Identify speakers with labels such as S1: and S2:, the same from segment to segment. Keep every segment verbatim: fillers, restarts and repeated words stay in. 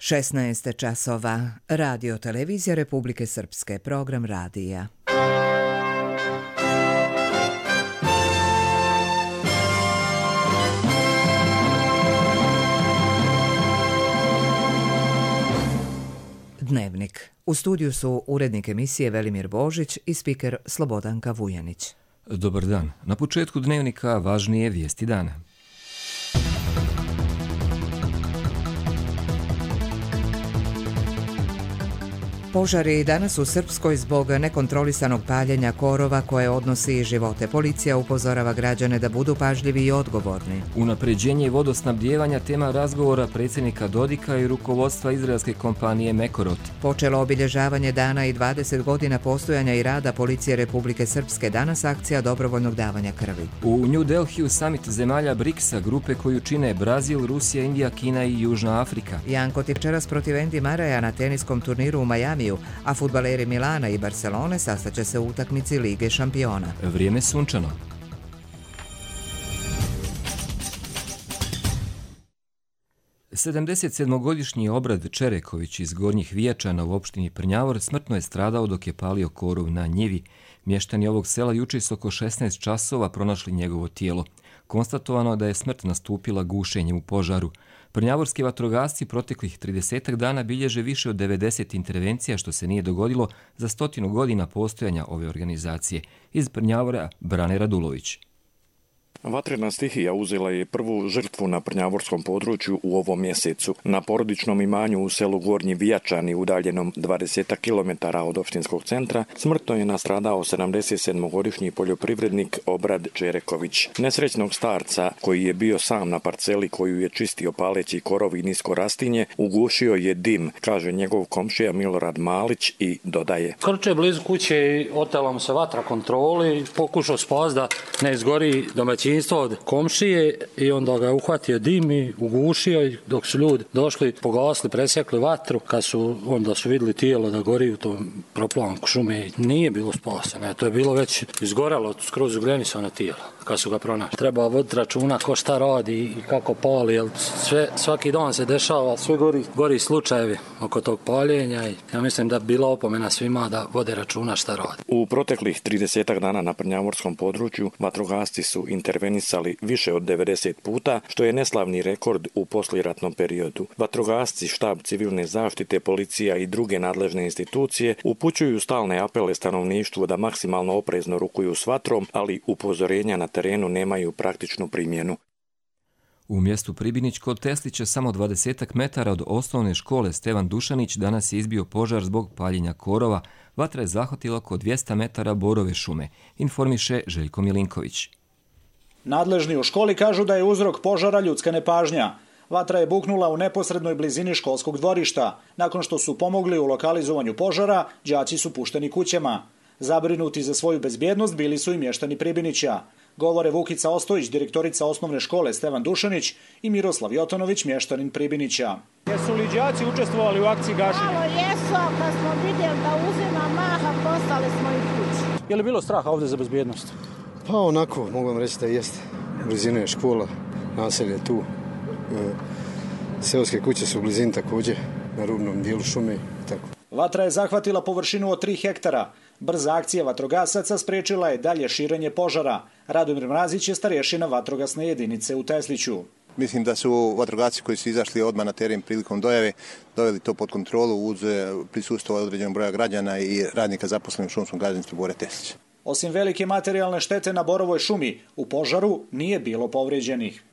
S1: šesnaest časova. Radio televizija Republike Srpske, program radija. Dnevnik. U studiju su urednik emisije Velimir Božić i spiker Slobodanka Vujanić.
S2: Dobar dan. Na početku dnevnika važnije vijesti dana.
S1: Požari danas u Srpskoj zbog nekontrolisanog paljenja korova koje odnosi živote. Policija upozorava građane da budu pažljivi i odgovorni.
S2: Unapređenje vodosnabdijevanja tema razgovora predsjednika Dodika i rukovodstva izraelske kompanije Mekorot.
S1: Počelo obilježavanje dana i dvadeset godina postojanja i rada Policije Republike Srpske. Danas akcija dobrovoljnog davanja krvi.
S2: U New Delhiju samit zemalja briksa, grupe koju čine Brazil, Rusija, Indija, Kina i Južna Afrika.
S1: Janko večeras protiv Andy Murraya na teniskom turniru u Majamiju, a fudbaleri Milana i Barcelone sastaće se u utakmici Lige šampiona.
S2: Vrijeme sunčano. sedamdesetsedmogodišnji Obrad Čereković iz Gornjih Vijačana u opštini Prnjavor smrtno je stradao dok je palio korov na njivi. Mještani ovog sela juče su oko šesnaest časova pronašli njegovo tijelo. Konstatovano je da je smrt nastupila gušenjem u požaru. Prnjavorski vatrogasci proteklih tridesetak dana bilježe više od devedeset intervencija, što se nije dogodilo za stotinu godina postojanja ove organizacije. Iz Prnjavora Brane Radulović.
S3: Vatrena stihija uzela je prvu žrtvu na prnjavorskom području u ovom mjesecu. Na porodičnom imanju u selu Gornji Vijačani, udaljenom dvadeset kilometara od opštinskog centra, smrtno je nastradao sedamdesetsedmogodišnji poljoprivrednik Obrad Čereković. Nesrećnog starca, koji je bio sam na parceli koju je čistio paleći korov i nisko rastinje, ugušio je dim, kaže njegov komšija Milorad Malić i dodaje.
S4: Krče blizu kuće i otela mu se vatra kontroli, pokušao spasti da ne izgori domaćinstvo od komšije i onda ga je uhvatio dim i ugušio i dok su ljudi došli, pogasli, presjekli vatru, kad su onda su vidjeli tijelo da gori u tom proplanku šume, nije bilo spaseno. To je bilo već izgoralo, skroz ugrenisano tijelo kad su ga pronašli. Treba voditi računa ko šta radi i kako pali, jer sve, svaki dan se dešava, sve gori, gori slučajevi oko tog paljenja i ja mislim da bi bila opomena svima da vode računa šta radi.
S3: U proteklih tridesetak dana na prnjavorskom području vatrogasci su intervenisali više od devedeset puta, što je neslavni rekord u poslijeratnom periodu. Vatrogasci, štab civilne zaštite, policija i druge nadležne institucije upućuju stalne apele stanovništvu da maksimalno oprezno rukuju s vatrom, ali upozorenja na terenu nemaju praktičnu primjenu.
S2: U mjestu Pribinić kod Teslića, samo dvadesetak metara od osnovne škole Stevan Dušanić, danas je izbio požar zbog paljenja korova. Vatra je zahvatila oko dvjesto metara borove šume, informiše Željko Milinković.
S5: Nadležni u školi kažu da je uzrok požara ljudska nepažnja. Vatra je buknula u neposrednoj blizini školskog dvorišta. Nakon što su pomogli u lokalizovanju požara, đaci su pušteni kućama. Zabrinuti za svoju bezbjednost bili su i mještani Pribinića. Govore Vukica Ostojić, direktorica osnovne škole Stevan Dušanić, i Miroslav Jotonović, mještanin Pribinića.
S6: Jesu li đaci učestvovali u akciji gašenja?
S7: Malo jesu, kad smo vidjeli da uzima maha, postali smo i kući.
S6: Je li bilo straha ovdje za bezbjednost?
S8: Pa onako, mogu vam reći da jeste. Blizina je škola, naselje je tu. Seoske kuće su u blizini također, na rubnom dijelu šume. Tako.
S5: Vatra je zahvatila površinu od tri hektara. Brza akcija vatrogasaca spriječila je dalje širenje požara. Radomir Mrazić je starješina vatrogasne jedinice u Tesliću.
S9: Mislim da su vatrogasci koji su izašli odmah na teren prilikom dojave doveli to pod kontrolu uz prisustvo određenog broja građana i radnika zaposlenih u šumskom gazdinstvu Bore Teslić.
S5: Osim velike materijalne štete na borovoj šumi, u požaru nije bilo povrijeđenih.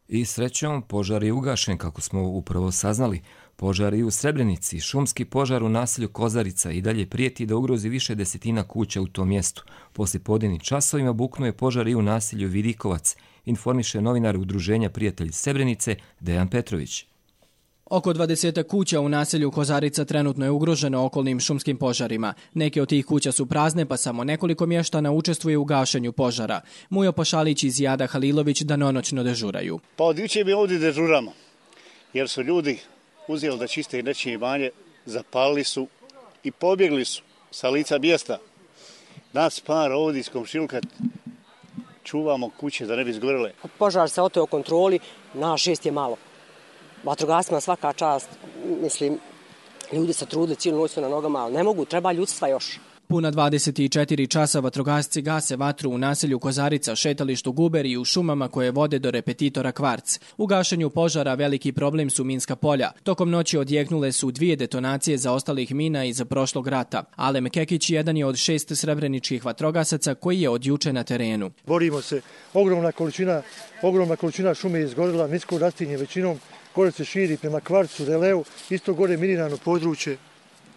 S2: I srećom, požar je ugašen, kako smo upravo saznali. Požar i u Srebrenici, šumski požar u naselju Kozarica i dalje prijeti da ugrozi više desetina kuća u tom mjestu. Poslije podnevnim časovima buknuo je požar i u naselju Vidikovac, informiše novinar Udruženja Prijatelji Srebrenice Dejan Petrović.
S10: Oko dvadeset kuća u naselju Kozarica trenutno je ugroženo okolnim šumskim požarima. Neke od tih kuća su prazne, pa samo nekoliko mještana učestvuje u gašenju požara. Mujo Pašalić i Zijada Halilović danonoćno dežuraju.
S11: Pa od juče mi ovdje dežuramo, jer su ljudi uzeli da čiste nečije imanje, zapalili su i pobjegli su sa lica mjesta. Nas par ovdje iz komšiluka čuvamo kuće da ne bi izgorele.
S12: Požar se oteo kontroli, na šest je malo. Vatrogascima svaka čast, mislim, ljudi se trude, cijelu noć su na nogama, ali ne mogu, treba ljudstva još.
S10: Puna dvadeset četiri časa vatrogasci gase vatru u naselju Kozarica, šetalištu Guber i u šumama koje vode do repetitora Kvarc. U gašenju požara veliki problem su minska polja. Tokom noći odjeknule su dvije detonacije zaostalih mina iz prošlog rata. Alem Kekić jedan je od šest srebreničkih vatrogasaca koji je od juče na terenu.
S13: Borimo se, ogromna količina, ogromna količina šume je izgorila, nisko rastinje većinom, gore se širi prema Kvarcu, Releu, isto gore minirano područje.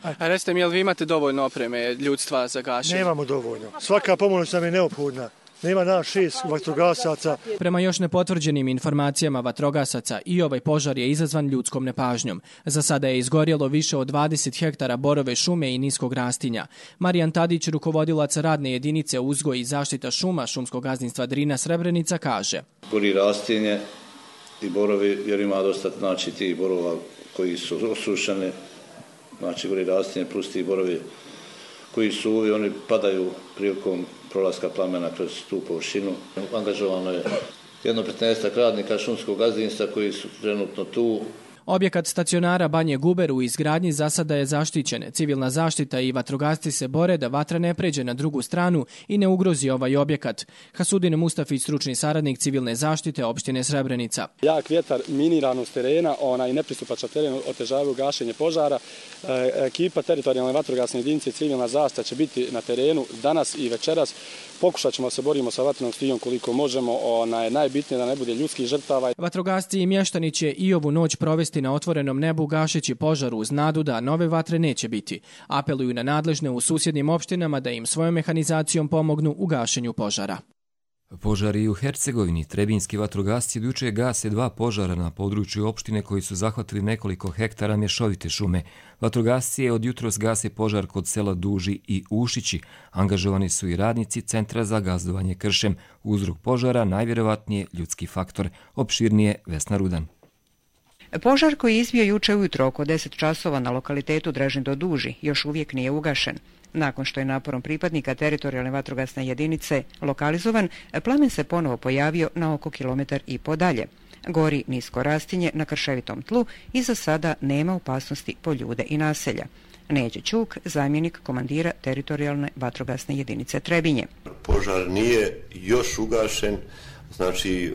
S10: A recite mi, jel vi imate dovoljno opreme ljudstva za gašenje?
S13: Nemamo dovoljno. Svaka pomoć nam je neophodna. Nema nas šest vatrogasaca.
S10: Prema još nepotvrđenim informacijama vatrogasaca i ovaj požar je izazvan ljudskom nepažnjom. Za sada je izgorjelo više od dvadeset hektara borove šume i niskog rastinja. Marijan Tadić, rukovodilac radne jedinice uzgoj i zaštita šuma šumskog gazdinstva Drina Srebrenica, kaže:
S14: Gori rastinje i borovi, jer ima dosta znači tih borova koji su osušeni. Znači, gori rastinje plus ti borovi koji su uvi, oni padaju prilikom prolaska plamena kroz tu površinu. Angažovano je jedno petnaestak radnika šumskog gazdinstva koji su trenutno tu.
S10: Objekat stacionara Banje Guber u izgradnji za sada je zaštićen. Civilna zaštita i vatrogasci se bore da vatra ne pređe na drugu stranu i ne ugrozi ovaj objekat. Hasudin Mustafić, stručni saradnik civilne zaštite opštine Srebrenica.
S6: Jak vjetar, miniranost terena, onaj nepristupačan teren otežavaju gašenje požara. E, ekipa teritorijalne vatrogasne jedinice civilna zaštita će biti na terenu danas i večeras. Pokušat ćemo se borimo sa vatrenom stihijom koliko možemo, ona je najbitnije da ne bude ljudskih žrtava.
S10: Vatrogasci i mještani će i ovu noć provesti na otvorenom nebu gašeći požar uz nadu da nove vatre neće biti. Apeluju na nadležne u susjednim opštinama da im svojom mehanizacijom pomognu u gašenju požara.
S2: Požari u Hercegovini. Trebinski vatrogasci juče gase dva požara na području opštine koji su zahvatili nekoliko hektara mješovite šume. Vatrogasci je od jutros gase požar kod sela Duži i Ušići. Angažovani su i radnici Centra za gazdovanje kršem. Uzrok požara najvjerovatnije ljudski faktor. Opširnije Vesna Rudan.
S15: Požar koji je izbio juče ujutro oko deset časova na lokalitetu Drežin do Duži još uvijek nije ugašen. Nakon što je naporom pripadnika teritorijalne vatrogasne jedinice lokalizovan, plamen se ponovo pojavio na oko kilometar i po dalje. Gori nisko rastinje na krševitom tlu i za sada nema opasnosti po ljude i naselja. Neđe Ćuk, zamjenik komandira teritorijalne vatrogasne jedinice Trebinje.
S16: Požar nije još ugašen. Znači,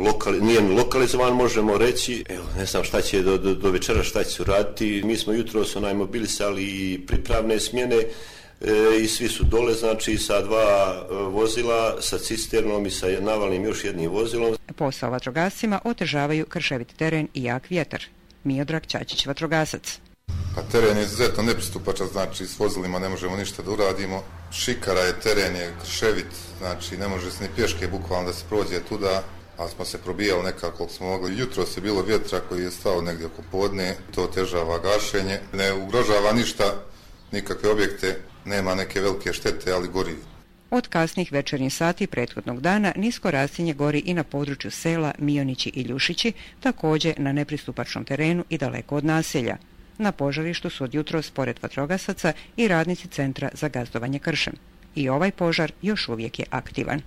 S16: lokali, nije lokalizovan, možemo reći. Evo, ne znam šta će do, do, do večera šta će raditi. Mi smo jutro su onaj mobilisali pripravne smjene e, i svi su dole, znači sa dva vozila, sa cisternom i sa navalnim još jednim vozilom.
S15: Posao vatrogascima otežavaju krševit teren i jak vjetar. Miodrag Ćačić, vatrogasac.
S17: Pa teren je izuzetno nepristupačan, znači s vozilima ne možemo ništa da uradimo. Šikara je, teren je krševit, znači ne može se ni pješke bukvalno da se prođe tuda, ali smo se probijali nekako koliko smo mogli. Jutro se bilo vjetra koji je stao negdje oko podne, to otežava gašenje, ne ugrožava ništa, nikakve objekte, nema neke velike štete, ali gori.
S15: Od kasnih večernjih sati prethodnog dana nisko rastinje gori i na području sela Mionići i Ljušići, također na nepristupačnom terenu i daleko od naselja. Na požarištu su od jutros pored vatrogasaca i radnici Centra za gazdovanje kršem. I ovaj požar još uvijek je aktivan.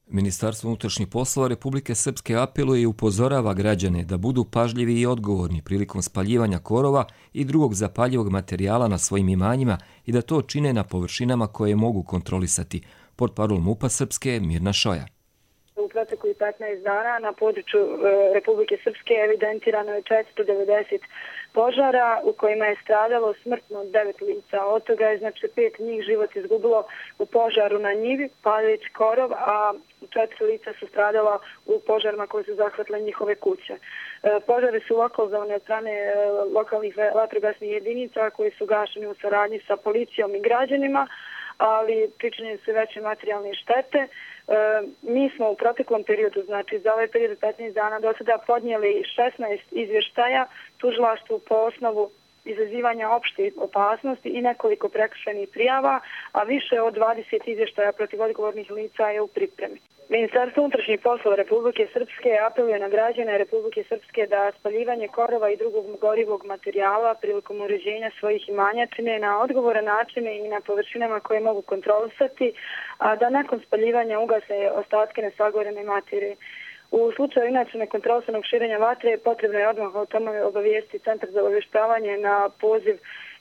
S2: Ministarstvo unutrašnjih poslova Republike Srpske apeluje i upozorava građane da budu pažljivi i odgovorni prilikom spaljivanja korova i drugog zapaljivog materijala na svojim imanjima i da to čine na površinama koje mogu kontrolisati. Portparol MUP-a Srpske Mirna Šoja.
S18: U proteklih petnaest dana na području Republike Srpske evidentirano je četiristo devedeset požara u kojima je stradalo smrtno devet lica. Od toga je znači pet njih život izgubilo u požaru na njivi, paljeći korov, a četiri lica su stradala u požarima koji su zahvatile njihove kuće. Požari su lokalizovane od strane lokalnih vatrogasnih jedinica koji su gašeni u saradnji sa policijom i građanima, ali pričinjene su veće materijalne štete. E, mi smo u proteklom periodu, znači za ovaj period petnaest dana do sada podnijeli šesnaest izvještaja tužilaštvu po osnovu izazivanja opšte opasnosti i nekoliko prekršajnih prijava, a više od dvadeset izvještaja protiv odgovornih lica je u pripremi. Ministarstvo unutrašnjih poslova Republike Srpske apeluje na građane Republike Srpske da spaljivanje korova i drugog gorivog materijala prilikom uređenja svojih imanja čine na odgovoran način i na površinama koje mogu kontrolisati, a da nakon spaljivanja ugase ostatke nesagorene materije. U slučaju inače nekontrolisanog širenja vatre potrebno je odmah o tome obavijesti Centar za obavještavanje na poziv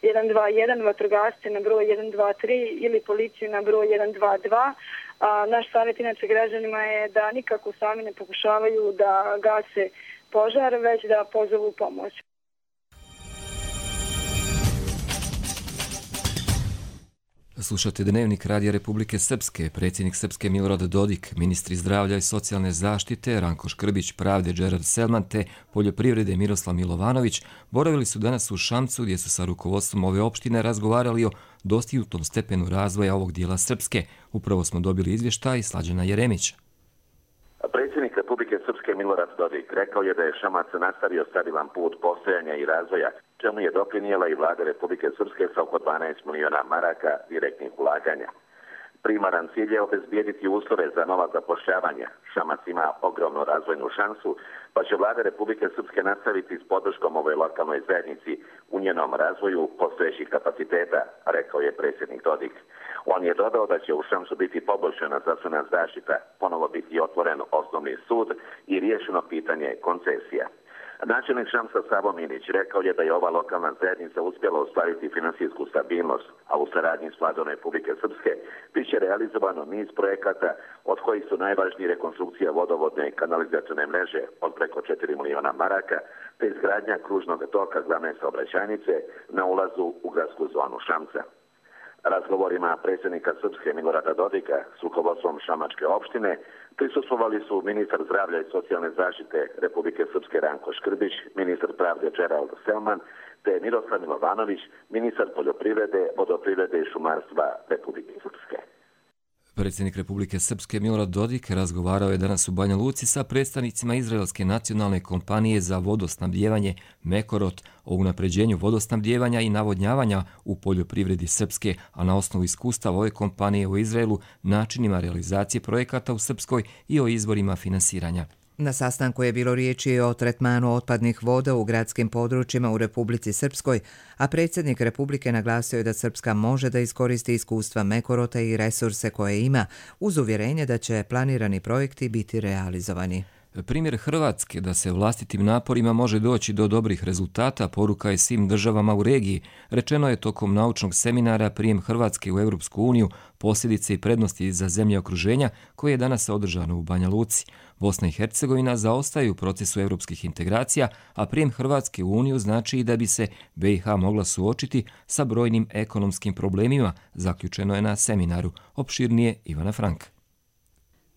S18: jedan dva jedan, vatrogasce na broj jedan dva tri ili policiju na broj jedan dva dva. A naš savjet inače građanima je da nikako sami ne pokušavaju da gase požar, već da pozovu pomoć.
S2: Slušate Dnevnik Radija Republike Srpske. Predsjednik Srpske Milorad Dodik, ministri zdravlja i socijalne zaštite Ranko Škrbić, pravde Džerard Selman te poljoprivrede Miroslav Milovanović boravili su danas u Šamcu gdje su sa rukovodstvom ove opštine razgovarali o dostignutom stepenu razvoja ovog dijela Srpske. Upravo smo dobili izvještaj Slađana Jeremića.
S19: Predsjednik Republike Srpske Milorad Dodik rekao je da je Šamac nastavio stabilan put postojanja i razvoja, čemu je doprinijela i vlada Republike Srpske sa oko dvanaest miliona maraka direktnih ulaganja. Primaran cilj je obezbijediti uslove za nova zapošljavanja. Šamac ima ogromnu razvojnu šansu, pa će vlada Republike Srpske nastaviti s podrškom ovoj lokalnoj zajednici u njenom razvoju postojećih kapaciteta, rekao je predsjednik Dodik. On je dodao da će u Šamcu biti poboljšana zdravstvena zaštita, ponovo biti otvoren osnovni sud i riješeno pitanje koncesija. Načelnik Šamca Savo Minić rekao je da je ova lokalna zajednica uspjela ostvariti finansijsku stabilnost, a u saradnji s vladom Republike Srpske biće realizovano niz projekata, od kojih su najvažniji rekonstrukcija vodovodne i kanalizacione mreže od preko četiri miliona maraka, te izgradnja kružnog toka glavne saobraćajnice na ulazu u gradsku zonu Šamca. Razgovorima predsjednika Srpske Milorada Dodika s rukovodstvom Šamačke opštine prisustvovali su ministar zdravlja i socijalne zaštite Republike Srpske Ranko Škrbić, ministar pravde Džerald Selman te Miroslav Milovanović, ministar poljoprivrede, vodoprivrede i šumarstva Republike Srpske.
S2: Predsjednik Republike Srpske Milorad Dodik razgovarao je danas u Banja Luci sa predstavnicima Izraelske nacionalne kompanije za vodosnabdijevanje Mekorot o unapređenju vodosnabdijevanja i navodnjavanja u poljoprivredi Srpske, a na osnovu iskustava ove kompanije u Izraelu, načinima realizacije projekata u Srpskoj i o izvorima finansiranja.
S1: Na sastanku je bilo riječi o tretmanu otpadnih voda u gradskim područjima u Republici Srpskoj, a predsjednik Republike naglasio je da Srpska može da iskoristi iskustva Mekorota i resurse koje ima, uz uvjerenje da će planirani projekti biti realizovani.
S2: Primjer Hrvatske da se vlastitim naporima može doći do dobrih rezultata poruka je svim državama u regiji, rečeno je tokom naučnog seminara Prijem Hrvatske u Europsku uniju, posljedice i prednosti za zemlje okruženja koje je danas održano u Banja Luci. Bosna i Hercegovina zaostaju u procesu europskih integracija, a prijem Hrvatske u Uniju znači i da bi se B i H mogla suočiti sa brojnim ekonomskim problemima, zaključeno je na seminaru. Opširnije Ivana Frank.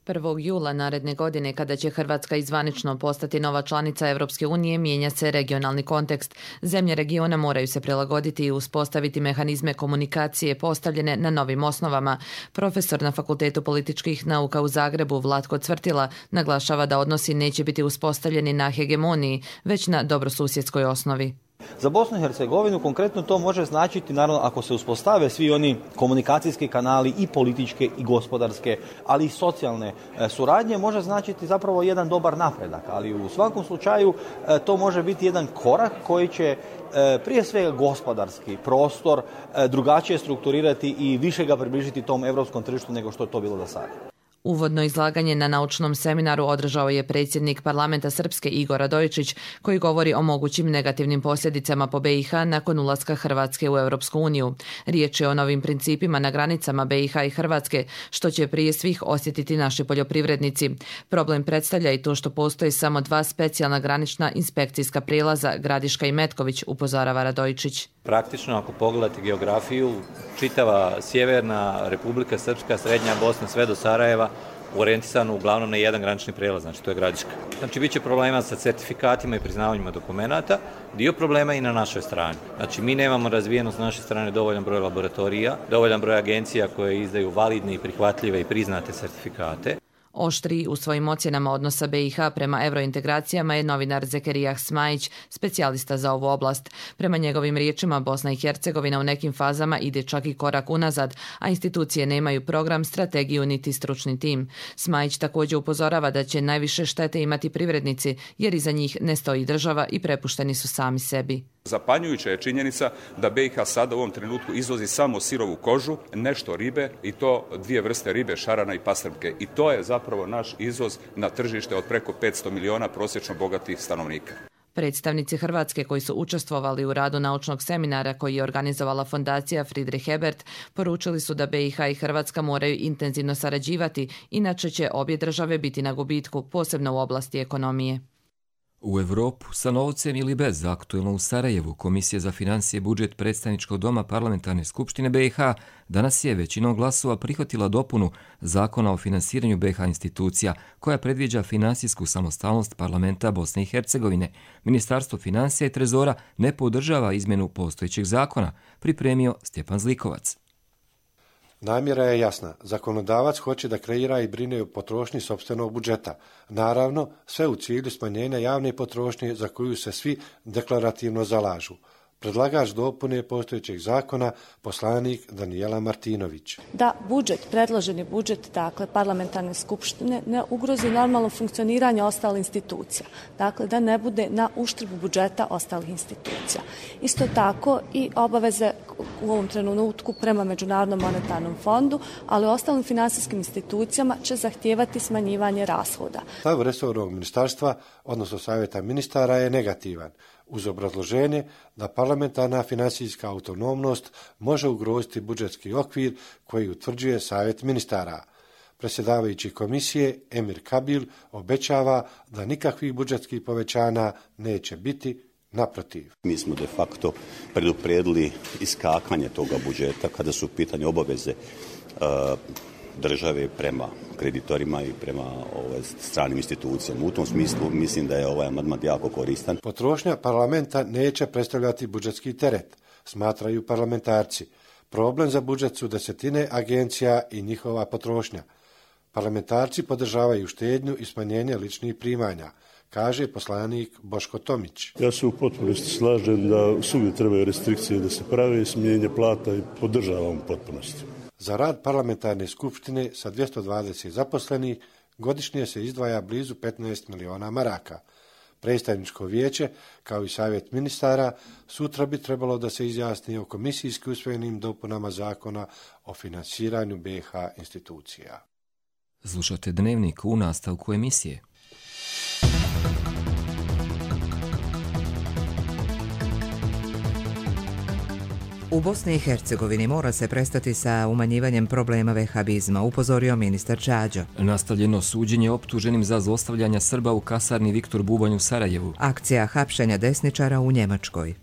S20: prvog jula naredne godine, kada će Hrvatska izvanično postati nova članica Europske unije, mijenja se regionalni kontekst. Zemlje regiona moraju se prilagoditi i uspostaviti mehanizme komunikacije postavljene na novim osnovama. Profesor na Fakultetu političkih nauka u Zagrebu Vlatko Cvrtila naglašava da odnosi neće biti uspostavljeni na hegemoniji, već na dobrosusjedskoj osnovi.
S21: Za Bosnu i Hercegovinu konkretno to može značiti, naravno, ako se uspostave svi oni komunikacijski kanali i političke i gospodarske, ali i socijalne suradnje, može značiti zapravo jedan dobar napredak, ali u svakom slučaju to može biti jedan korak koji će prije svega gospodarski prostor drugačije strukturirati i više ga približiti tom europskom tržištu nego što je to bilo do sada.
S20: Uvodno izlaganje na naučnom seminaru održao je predsjednik parlamenta Srpske Igor Radojičić, koji govori o mogućim negativnim posljedicama po B i H nakon ulaska Hrvatske u Europsku uniju. Riječ je o novim principima na granicama B i H i Hrvatske, što će prije svih osjetiti naši poljoprivrednici. Problem predstavlja i to što postoji samo dva specijalna granična inspekcijska prijelaza, Gradiška i Metković, upozorava Radojičić.
S22: Praktično, ako pogledate geografiju, čitava sjeverna Republika Srpska, srednja Bosna, sve do Sarajeva, orijentisano uglavnom na jedan granični prijelaz, znači to je Gradiška. Znači, bit će problema sa certifikatima i priznavanjima dokumenata, dio problema i na našoj strani. Znači, mi nemamo razvijeno s naše strane dovoljan broj laboratorija, dovoljan broj agencija koje izdaju validne i prihvatljive i priznate certifikate.
S20: Oštri u svojim ocjenama odnosa B i H prema eurointegracijama je novinar Zekerijah Smajić, specijalista za ovu oblast. Prema njegovim riječima, Bosna i Hercegovina u nekim fazama ide čak i korak unazad, a institucije nemaju program, strategiju niti stručni tim. Smajić također upozorava da će najviše štete imati privrednici, jer iza njih ne stoji država i prepušteni su sami sebi.
S23: Zapanjujuća je činjenica da B i H sada u ovom trenutku izvozi samo sirovu kožu, nešto ribe i to dvije vrste ribe, šarana i pastrvke. I to je zapravo zapravo naš izvoz na tržište od preko petsto miliona prosječno bogatih stanovnika.
S20: Predstavnici Hrvatske koji su učestvovali u radu naučnog seminara koji je organizovala fondacija Friedrich Ebert poručili su da B i H i Hrvatska moraju intenzivno sarađivati, inače će obje države biti na gubitku, posebno u oblasti ekonomije.
S2: U Evropu, sa novcem ili bez, aktuelno u Sarajevu, Komisija za financije i budžet Predstavničkog doma Parlamentarne skupštine B i H danas je većinom glasova prihvatila dopunu Zakona o finansiranju B i H institucija, koja predviđa finansijsku samostalnost parlamenta Bosne i Hercegovine. Ministarstvo financija i trezora ne podržava izmjenu postojećeg zakona, pripremio Stjepan Zlikovac.
S3: Namjera je jasna. Zakonodavac hoće da kreira i brine o potrošnji sopstvenog budžeta. Naravno, sve u cilju smanjenja javne potrošnje za koju se svi deklarativno zalažu. Predlagač dopune postojećeg zakona, poslanik Danijela Martinović.
S4: Da budžet, predloženi budžet, dakle parlamentarne skupštine, ne ugrozi normalno funkcioniranje ostalih institucija. Dakle, da ne bude na uštrb budžeta ostalih institucija. Isto tako i obaveze u ovom trenutku prema Međunarodnom monetarnom fondu, ali ostalim finansijskim institucijama će zahtijevati smanjivanje rashoda.
S3: Stav resornog ministarstva, odnosno savjeta ministara, je negativan, uz obrazloženje da parlamentarna finansijska autonomnost može ugroziti budžetski okvir koji utvrđuje savjet ministara. Predsjedavajući komisije Emir Kabil obećava da nikakvih budžetskih povećanja neće biti, naprotiv.
S7: Mi smo de facto preduprijedili iskakanje toga budžeta kada su u pitanju obaveze uh, države prema kreditorima i prema ovaj, stranim institucijama. U tom smislu mislim da je ovaj amandman jako koristan.
S3: Potrošnja parlamenta neće predstavljati budžetski teret, smatraju parlamentarci. Problem za budžet su desetine agencija i njihova potrošnja. Parlamentarci podržavaju štednju i smanjenje ličnih primanja, kaže poslanik Boško Tomić.
S24: Ja se u potpunosti slažem da svugdje trebaju restrikcije da se prave, smanjenje plata i podržavam u potpunosti.
S3: Za rad parlamentarne skupštine sa dvjesto dvadeset zaposlenih godišnje se izdvaja blizu petnaest miliona maraka. Predstavničko vijeće, kao i savjet ministara, sutra bi trebalo da se izjasni o komisijski usvojenim dopunama zakona o finansiranju B i H institucija.
S2: Slušate Dnevnik u nastavku emisije.
S1: U Bosni i Hercegovini mora se prestati sa umanjivanjem problema vehabizma, upozorio ministar Čađo.
S2: Nastavljeno suđenje optuženim za zlostavljanja Srba u kasarni Viktor Bubanj u Sarajevu.
S1: Akcija hapšenja desničara u Njemačkoj.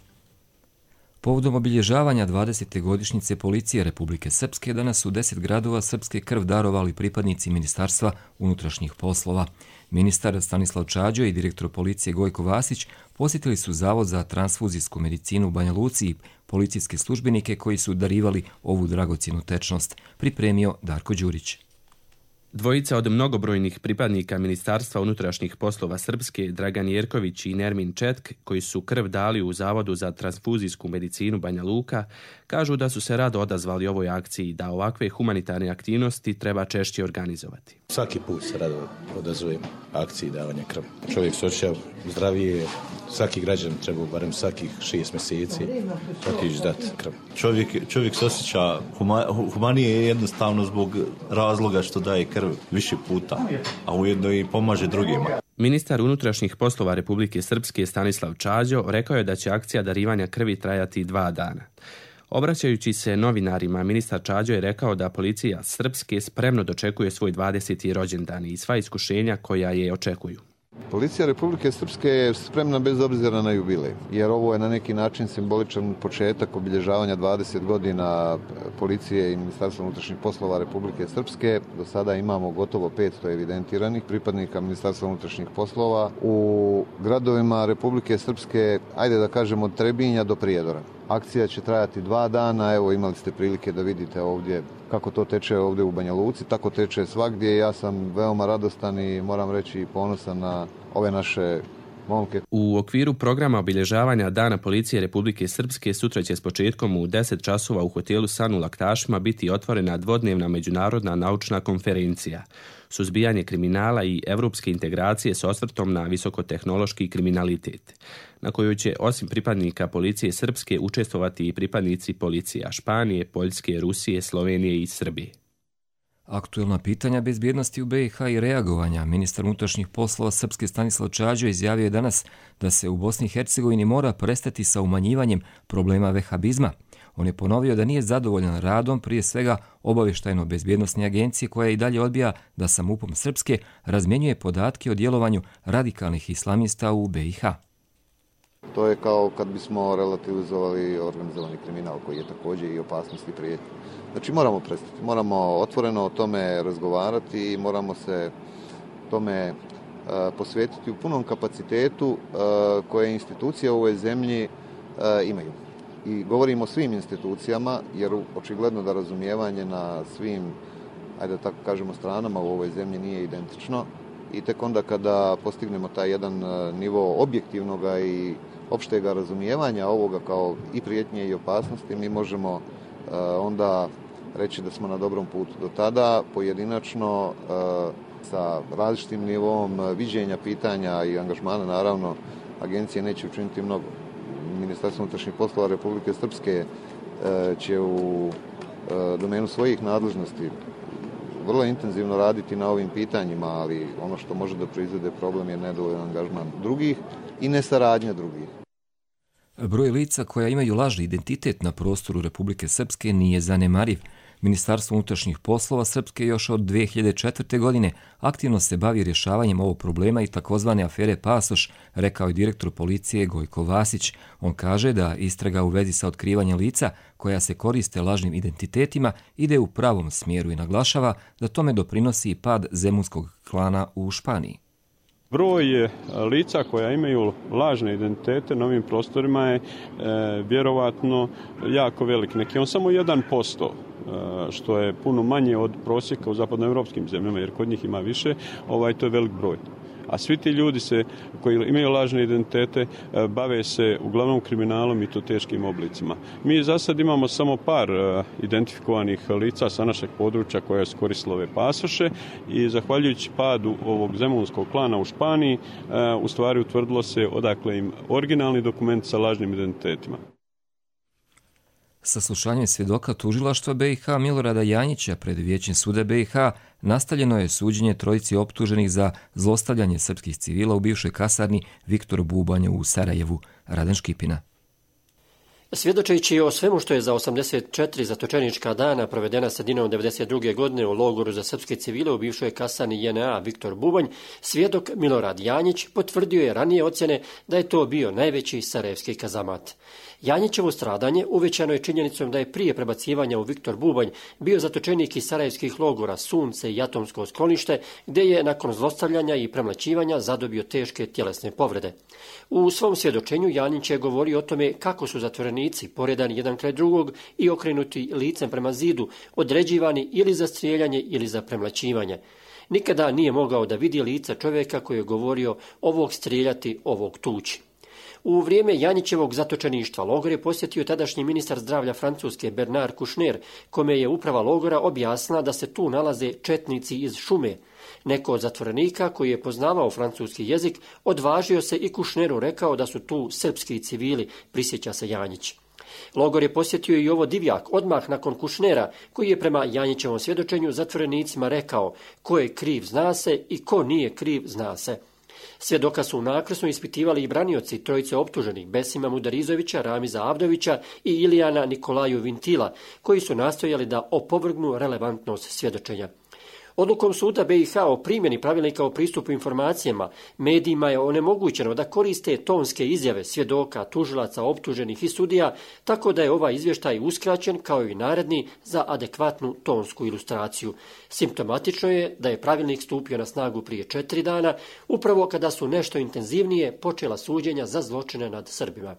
S2: Povodom obilježavanja dvadesete godišnjice Policije Republike Srpske danas u deset gradova srpske krv darovali pripadnici Ministarstva unutrašnjih poslova. Ministar Stanislav Čađo i direktor policije Gojko Vasić posjetili su Zavod za transfuzijsku medicinu u Banja Luci i policijske službenike koji su darivali ovu dragocjenu tečnost, pripremio Darko Đurić.
S25: Dvojica od mnogobrojnih pripadnika Ministarstva unutrašnjih poslova Srpske, Dragan Jerković i Nermin Četk, koji su krv dali u Zavodu za transfuzijsku medicinu Banja Luka, kažu da su se rado odazvali ovoj akciji, da ovakve humanitarne aktivnosti treba češće organizovati.
S26: Svaki put se rado odazovem akciji davanja krvi. Čovjek se osjeća zdravije, svaki građan treba barem svakih šest mjeseci otići dati krv.
S27: Čovjek, čovjek se osjeća huma, humanije jednostavno zbog razloga što daje krv više puta, a ujedno i pomaže drugima.
S25: Ministar unutrašnjih poslova Republike Srpske Stanislav Čađo rekao je da će akcija darivanja krvi trajati dva dana. Obraćajući se novinarima, ministar Čađo je rekao da policija Srpske spremno dočekuje svoj dvadeseti rođendan i sva iskušenja koja je očekuju.
S28: Policija Republike Srpske je spremna bez obzira na jubilej, jer ovo je na neki način simboličan početak obilježavanja dvadeset godina policije i Ministarstva unutrašnjih poslova Republike Srpske. Do sada imamo gotovo petsto evidentiranih pripadnika Ministarstva unutrašnjih poslova u gradovima Republike Srpske, ajde da kažemo od Trebinja do Prijedora. Akcija će trajati dva dana, evo imali ste prilike da vidite ovdje kako to teče ovdje u Banja Luci, tako teče svagdje. Ja sam veoma radostan i moram reći ponosan na ove naše momke.
S25: U okviru programa obilježavanja Dana policije Republike Srpske sutra će s početkom u deset časova u hotelu San u Laktašima biti otvorena dvodnevna međunarodna naučna konferencija. Suzbijanje kriminala i evropske integracije s osvrtom na visokotehnološki kriminalitet, na kojoj će osim pripadnika policije Srpske učestvovati i pripadnici policija Španije, Poljske, Rusije, Slovenije i Srbije.
S2: Aktuelna pitanja bezbjednosti u B i H i reagovanja. Ministar unutrašnjih poslova Srpske Stanislav Čađo izjavio je danas da se u Bosni i Hercegovini mora prestati sa umanjivanjem problema vehabizma. On je ponovio da nije zadovoljan radom prije svega obavještajno-bezbjednosne agencije koja i dalje odbija da sa MUP-om Srpske razmjenjuje podatke o djelovanju radikalnih islamista u B i H.
S28: To je kao kad bismo relativizovali organizovani kriminal koji je također i opasnost i prijetnja. Znači moramo prestati, moramo otvoreno o tome razgovarati i moramo se tome uh, posvetiti u punom kapacitetu uh, koje institucije u ovoj zemlji uh, imaju. I govorimo o svim institucijama jer očigledno da razumijevanje na svim, ajde da tako kažemo, stranama u ovoj zemlji nije identično i tek onda kada postignemo taj jedan nivo objektivnog i opštega razumijevanja ovoga kao i prijetnje i opasnosti, mi možemo uh, onda reći da smo na dobrom putu. Do tada pojedinačno uh, sa različitim nivom viđenja pitanja i angažmana, naravno, agencije neće učiniti mnogo. Ministarstvo unutrašnjih poslova Republike Srpske uh, će u uh, domenu svojih nadležnosti vrlo intenzivno raditi na ovim pitanjima, ali ono što može da proizvede problem je nedovoljan angažman drugih i nesaradnja drugih.
S2: Broj lica koja imaju lažni identitet na prostoru Republike Srpske nije zanemariv. Ministarstvo unutrašnjih poslova Srpske još od dvije hiljade četvrte. godine aktivno se bavi rješavanjem ovog problema i takozvane afere Pasoš, rekao je direktor policije Gojko Vasić. On kaže da istraga u vezi sa otkrivanjem lica koja se koriste lažnim identitetima ide u pravom smjeru i naglašava da tome doprinosi i pad zemunskog klana u Španiji.
S5: Broj lica koja imaju lažne identitete na ovim prostorima je e, vjerovatno jako velik. Neki on samo jedan posto, e, što je puno manje od prosjeka u zapadnoevropskim zemljama, jer kod njih ima više, ovaj, to je velik broj. A svi ti ljudi se, koji imaju lažne identitete bave se uglavnom kriminalom i to teškim oblicima. Mi za sad imamo samo par identifikovanih lica sa našeg područja koja su koristila ove pasoše i zahvaljujući padu ovog zemunskog klana u Španiji u stvari utvrdilo se odakle im originalni dokument sa lažnim identitetima.
S2: Saslušanjem svjedoka tužilaštva B i H Milorada Janjića pred Vijećem suda B i H nastavljeno je suđenje trojici optuženih za zlostavljanje srpskih civila u bivšoj kasarni Viktor Bubanj u Sarajevu. Radan Škipina.
S6: Svjedočeći o svemu što je za osamdeset četiri zatočenička dana provedena sredinom devedeset druge. godine u logoru za srpske civile u bivšoj kasarni J N A Viktor Bubanj, svjedok Milorad Janjić potvrdio je ranije ocjene da je to bio najveći sarajevski kazamat. Janjićevo stradanje uvećano je činjenicom da je prije prebacivanja u Viktor Bubanj bio zatočenik iz sarajevskih logora Sunce i Atomsko sklonište, gdje je nakon zlostavljanja i premlaćivanja zadobio teške tjelesne povrede. U svom svjedočenju Janjić je govorio o tome kako su zatvorenici poredani jedan kraj drugog i okrenuti licem prema zidu, određivani ili za strijeljanje ili za premlaćivanje. Nikada nije mogao da vidi lica čovjeka koji je govorio ovog strijeljati, ovog tući. U vrijeme Janjićevog zatočeništva logor je posjetio tadašnji ministar zdravlja Francuske Bernard Kouchner, kome je uprava logora objasnila da se tu nalaze četnici iz šume. Neko od zatvorenika koji je poznavao francuski jezik odvažio se i Kouchneru rekao da su tu srpski civili, prisjeća se Janjić. Logor je posjetio i ovo Divjak odmah nakon Kouchnera, koji je prema Janjićevom svjedočenju zatvorenicima rekao ko je kriv zna se i ko nije kriv zna se. Svjedoka su nakrsno ispitivali i branioci trojice optuženih Besima Mudarizovića, Ramiza Avdovića i Ilijana Nikolaju Vintila, koji su nastojali da opovrgnu relevantnost svjedočenja. Odlukom suda B i H o primjeni pravilnika o pristupu informacijama medijima je onemogućeno da koriste tonske izjave svjedoka, tužilaca, optuženih i sudija, tako da je ovaj izvještaj uskraćen kao i naredni za adekvatnu tonsku ilustraciju. Simptomatično je da je pravilnik stupio na snagu prije četiri dana, upravo kada su nešto intenzivnije počela suđenja za zločine nad Srbima.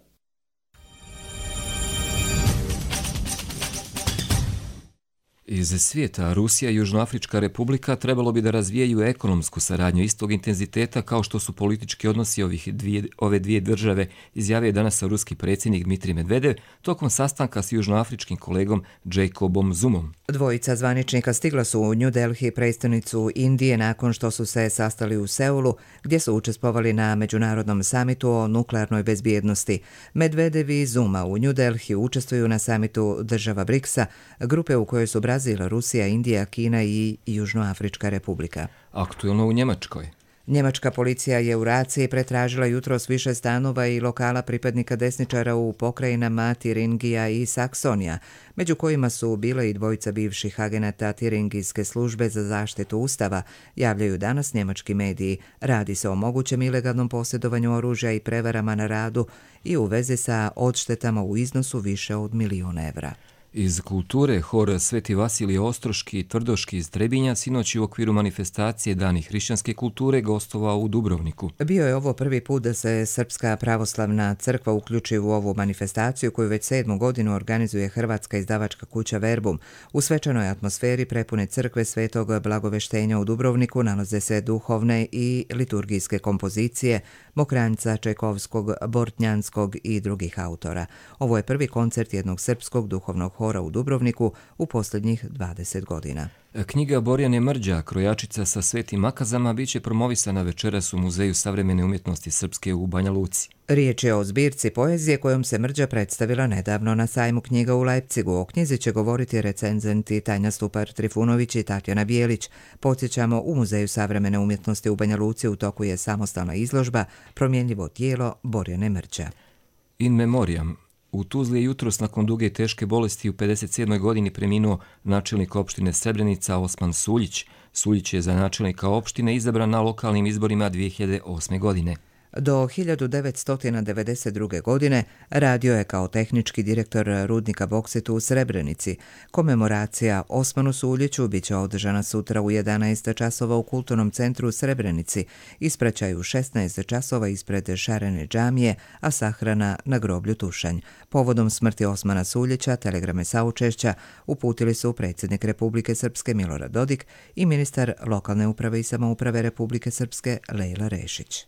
S2: Iz svijeta, Rusija i Južnoafrička republika trebalo bi da razvijaju ekonomsku saradnju istog intenziteta kao što su politički odnosi ovih dvije, ove dvije države, izjavio danas ruski predsjednik Dmitrij Medvedev tokom sastanka s južnoafričkim kolegom Jacobom Zumom.
S1: Dvojica zvaničnika stigla su u New Delhi, prestonicu Indije, nakon što su se sastali u Seulu, gdje su učestvovali na međunarodnom samitu o nuklearnoj bezbjednosti. Medvedev i Zuma u New Delhi učestvuju na samitu država briksa, grupe u kojoj su Brazil Brazil, Rusija, Indija, Kina i Južnoafrička republika.
S2: Aktuelno u Njemačkoj.
S1: Njemačka policija je u raciji pretražila jutros više stanova i lokala pripadnika desničara u pokrajinama Tiringija i Saksonija, među kojima su bile i dvojica bivših agenata Tiringijske službe za zaštitu ustava, javljaju danas njemački mediji. Radi se o mogućem ilegalnom posjedovanju oružja i prevarama na radu i u vezi sa odštetama u iznosu više od milijuna evra.
S2: Iz kulture, hor Sveti Vasilije Ostroški i Tvrdoški iz Trebinja sinoć u okviru manifestacije Dani hrišćanske kulture gostovao u Dubrovniku.
S1: Bio je ovo prvi put da se Srpska pravoslavna crkva uključi u ovu manifestaciju koju već sedmu godinu organizuje hrvatska izdavačka kuća Verbum. U svečanoj atmosferi prepune crkve Svetog Blagoveštenja u Dubrovniku nalaze se duhovne i liturgijske kompozicije Mokranjca, Čajkovskog, Bortnjanskog i drugih autora. Ovo je prvi koncert jednog srpskog duhovnog hora u Dubrovniku u posljednjih dvadeset godina.
S2: Knjiga Borjane Mrđa, krojačica sa svetim makazama, bit će promovisana večeras u Muzeju savremene umjetnosti srpske u Banja Luci.
S1: Riječ je o zbirci poezije kojom se Mrđa predstavila nedavno na sajmu knjiga u Leipzigu. O knjizi će govoriti recenzenti Tanja Stupar-Trifunović i Tatjana Bijelić. Podsjećamo, u Muzeju savremene umjetnosti u Banja Luci u toku je samostalna izložba Promjenljivo tijelo Borjane Mrđa.
S2: In memoriam. U Tuzli je jutros nakon duge i teške bolesti u pedeset sedmoj godini preminuo načelnik opštine Srebrenica Osman Suljić. Suljić je za načelnika opštine izabran na lokalnim izborima dvije hiljade osme. godine.
S1: Do hiljadu devetsto devedeset druge. godine radio je kao tehnički direktor rudnika Boksitu u Srebrenici. Komemoracija Osmanu Suljiću bit će održana sutra u jedanaest časova u Kulturnom centru u Srebrenici, ispraćaj u šesnaest časova ispred Šarene džamije, a sahrana na groblju Tušanj. Povodom smrti Osmana Suljića telegrame saučešća uputili su predsjednik Republike Srpske Milorad Dodik i ministar lokalne uprave i samouprave Republike Srpske Lejla Rešić.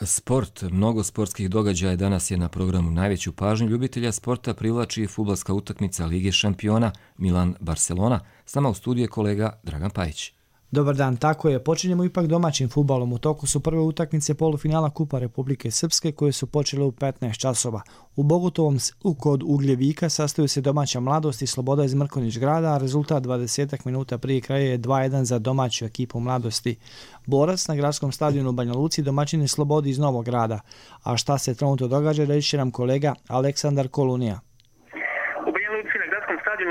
S2: Sport. Mnogo sportskih događaja danas je na programu. Najveću pažnju ljubitelja sporta privlači fudbalska utakmica Lige šampiona Milan-Barcelona. S nama u studiju je kolega Dragan Pajić.
S8: Dobar dan, tako je. Počinjemo ipak domaćim fudbalom. U toku su prve utakmice polufinala Kupa Republike Srpske koje su počele u petnaest časova. U Bogotovom kod Ugljevika sastaju se domaća Mladost i Sloboda iz Mrkonjić grada, a rezultat dvadeset minuta prije kraja je dva jedan za domaću ekipu Mladosti. Borac na gradskom stadionu u Banja Luci domaćin je Slobodi iz Novog grada. A šta se trenutno događa, reći će nam kolega Aleksandar Kolunija.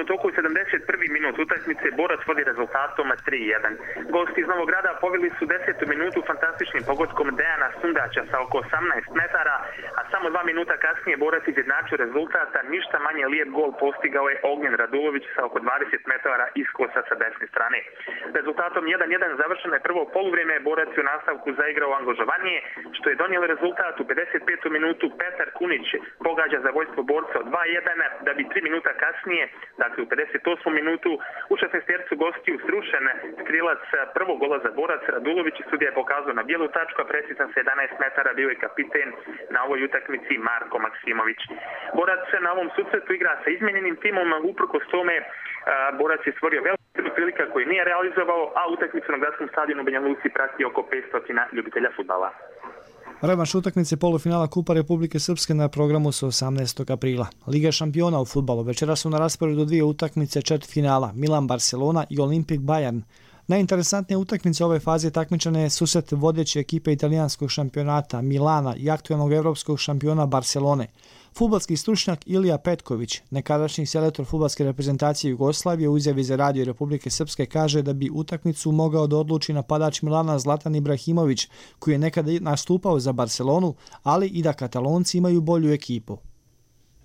S9: U toku sedamdeset prvi minut utakmice Borac vodi rezultatom tri jedan. Gosti iz Novog grada poveli su desetu minutu fantastičnim pogodkom Dejana Sundaća sa oko osamnaest metara, a samo dva minuta kasnije Borac izjednačio rezultata, ništa manje lijep gol postigao je Ognjen Radulović sa oko dvadeset metara iskosa sa desne strane. Rezultatom jedan jedan završeno je prvo poluvrijeme, Borac je u nastavku zaigrao angažovanije, što je donijelo rezultat u pedeset petu minutu. Petar Kunić pogađa za vojstvo Borca od dva jedan, da bi tri minuta kasnije, dakle u pedeset osmom minutu, u šesnaestercu gostiju srušen strilac prvog gola za Borac Radulović. Sudija je pokazao na bijelu tačku, a precizan sa jedanaest metara bio je kapiten na ovoj utakmici Marko Maksimović. Borac na ovom susretu igra sa izmijenjenim timom, uprkos tome Borac je stvorio veliku prilika koju nije realizovao, a utakmicu na gradskom stadionu u Banja Luci prati oko petsto ljubitelja fudbala.
S8: Revanš utakmice polufinala Kupa Republike Srpske na programu su osamnaestog aprila. Liga šampiona u fudbalu. Večera su na rasporedu dvije utakmice četvrtfinala Milan-Barcelona i Olimpik-Bayern. Najinteresantnije utakmice ove faze takmičenja je susret vodeće ekipe italijanskog šampionata Milana i aktualnog evropskog šampiona Barcelone. Fudbalski stručnjak Ilija Petković, nekadašnji selektor fudbalske reprezentacije Jugoslavije, u izjavi za Radio Republike Srpske kaže da bi utakmicu mogao da odluči napadač Milana Zlatan Ibrahimović, koji je nekada nastupao za Barcelonu, ali i da Katalonci imaju bolju ekipu.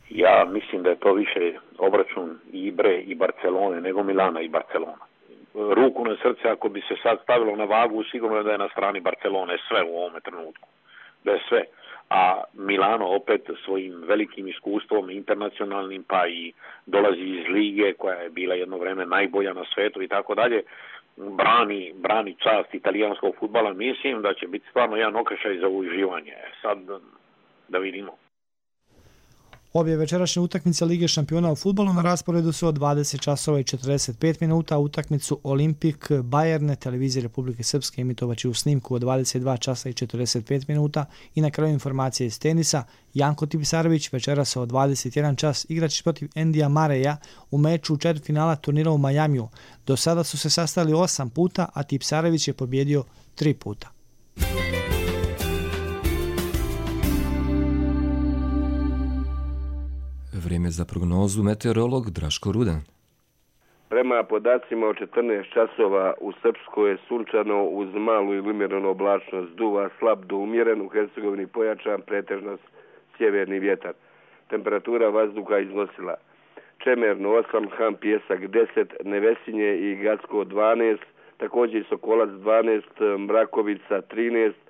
S10: Ja mislim da je to više obračun i Ibre i Barcelone nego Milana i Barcelona. Ruku na srce, ako bi se sad stavilo na vagu, sigurno je da je na strani Barcelone sve u ovome trenutku. Da je sve. A Milano opet svojim velikim iskustvom internacionalnim, pa i dolazi iz lige koja je bila jedno vreme najbolja na svetu i tako dalje, brani, brani čast italijanskog fudbala. Mislim da će biti stvarno jedan okršaj za uživanje. Sad da vidimo.
S8: Obje večerašnje utakmice Lige šampiona u fudbalu na rasporedu su od dvadeset časova i četrdeset pet minuta. Utakmicu Olimpik Bayern televizije Republike Srpske emitovaće u snimku od dvadeset dva časa i četrdeset pet minuta. I na kraju informacije iz tenisa. Janko Tipsarević večeras od dvadeset jedan čas igraće protiv Endija Mareja u meču četvrtfinala turnira u Majamiju. Do sada su se sastali osam puta, a Tipsarević je pobjedio tri puta.
S2: Vrijeme za prognozu meteorolog Draško Rudan.
S11: Prema podacima od četrnaest časova u Srpskoj je sunčano uz malu ili umjerenu oblačnost, duva slab do umjeren, u Hercegovini pojačan, pretežno sjeverni vjetar. Temperatura vazduha iznosila Čemerno osam, Han Pjesak deset, Nevesinje i Gacko dvanaest, također i Sokolac dvanaest, Mrakovica trinaest,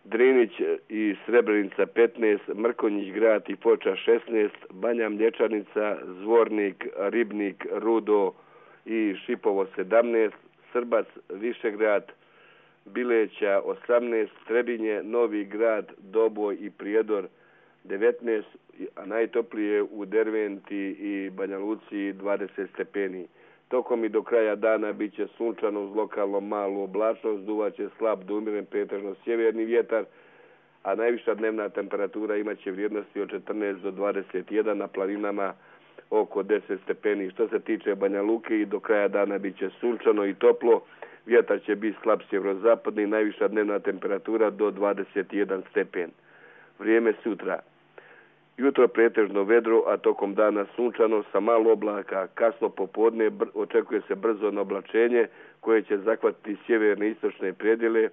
S11: Drinić i Srebrenica petnaest, Mrkonjić grad i Foča šesnaest, Banja Mlječanica, Zvornik, Ribnik, Rudo i Šipovo sedamnaest, Srbac, Višegrad, Bileća osamnaest, Trebinje, Novi grad, Doboj i Prijedor devetnaest, a najtoplije u Derventi i Banja Luci dvadeset stepeni. Tokom i do kraja dana bit će sunčano uz lokalno malu oblačnost, duvaće slab do umjeren pretežno sjeverni vjetar, a najviša dnevna temperatura imaće vrijednosti od četrnaest do dvadeset jedan, na planinama oko deset stepeni. Što se tiče Banja Luke, i do kraja dana bit će sunčano i toplo, vjetar će biti slab sjeverozapadni, najviša dnevna temperatura do dvadeset jedan stepen. Vrijeme sutra. Jutro pretežno vedro, a tokom dana sunčano sa malo oblaka. Kasno popodne br- očekuje se brzo oblačenje koje će zahvatiti sjeverne i istočne predjele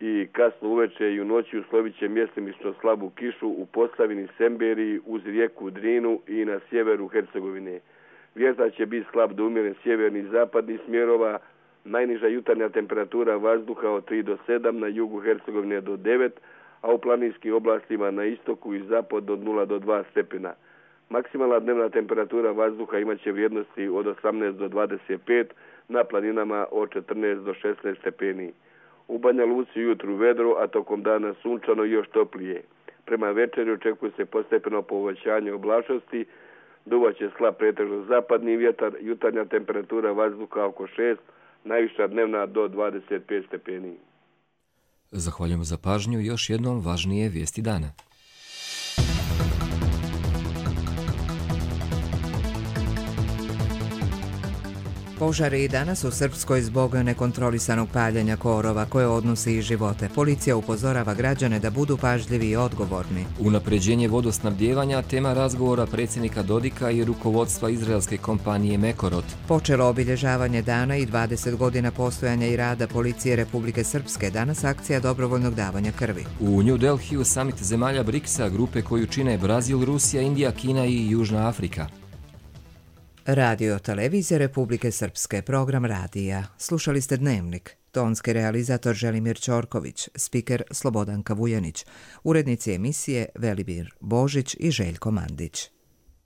S11: i kasno uveče i u noći uslovit će mjestimično slabu kišu u Posavini, Semberiji, uz rijeku Drinu i na sjeveru Hercegovine. Vjetar će biti slab do umjeren sjeverni i zapadni smjerova, najniža jutarnja temperatura vazduha od tri do sedam, na jugu Hercegovine do devet, a u planinskim oblastima na istoku i zapad od nula do dva stepena. Maksimalna dnevna temperatura vazduha imaće vrijednosti od osamnaest do dvadeset pet, na planinama od četrnaest do šesnaest stepeni. U Banja Luci jutru vedro, a tokom dana sunčano i još toplije. Prema večeri očekuje se postepeno povećanje oblačnosti, duvaće slab pretežno zapadni vjetar, jutarnja temperatura vazduha oko šest, najviša dnevna do dvadeset pet stepeni.
S2: Zahvaljujemo za pažnju. Još jednom važnije vijesti dana.
S1: Požari i danas u Srpskoj zbog nekontrolisanog paljenja korova koje odnosi i živote. Policija upozorava građane da budu pažljivi i odgovorni.
S2: Unapređenje vodosnabdijevanja, tema razgovora predsjednika Dodika i rukovodstva izraelske kompanije Mekorot.
S1: Počelo obilježavanje dana i dvadeset godina postojanja i rada Policije Republike Srpske, danas akcija dobrovoljnog davanja krvi.
S2: U New Delhiju samit zemalja briksa, grupe koju čine Brazil, Rusija, Indija, Kina i Južna Afrika.
S1: Radio Televizije Republike Srpske, program radija. Slušali ste Dnevnik. Tonski realizator Želimir Ćorković, spiker Slobodanka Vujanić, urednici emisije Velibir Božić i Željko Mandić.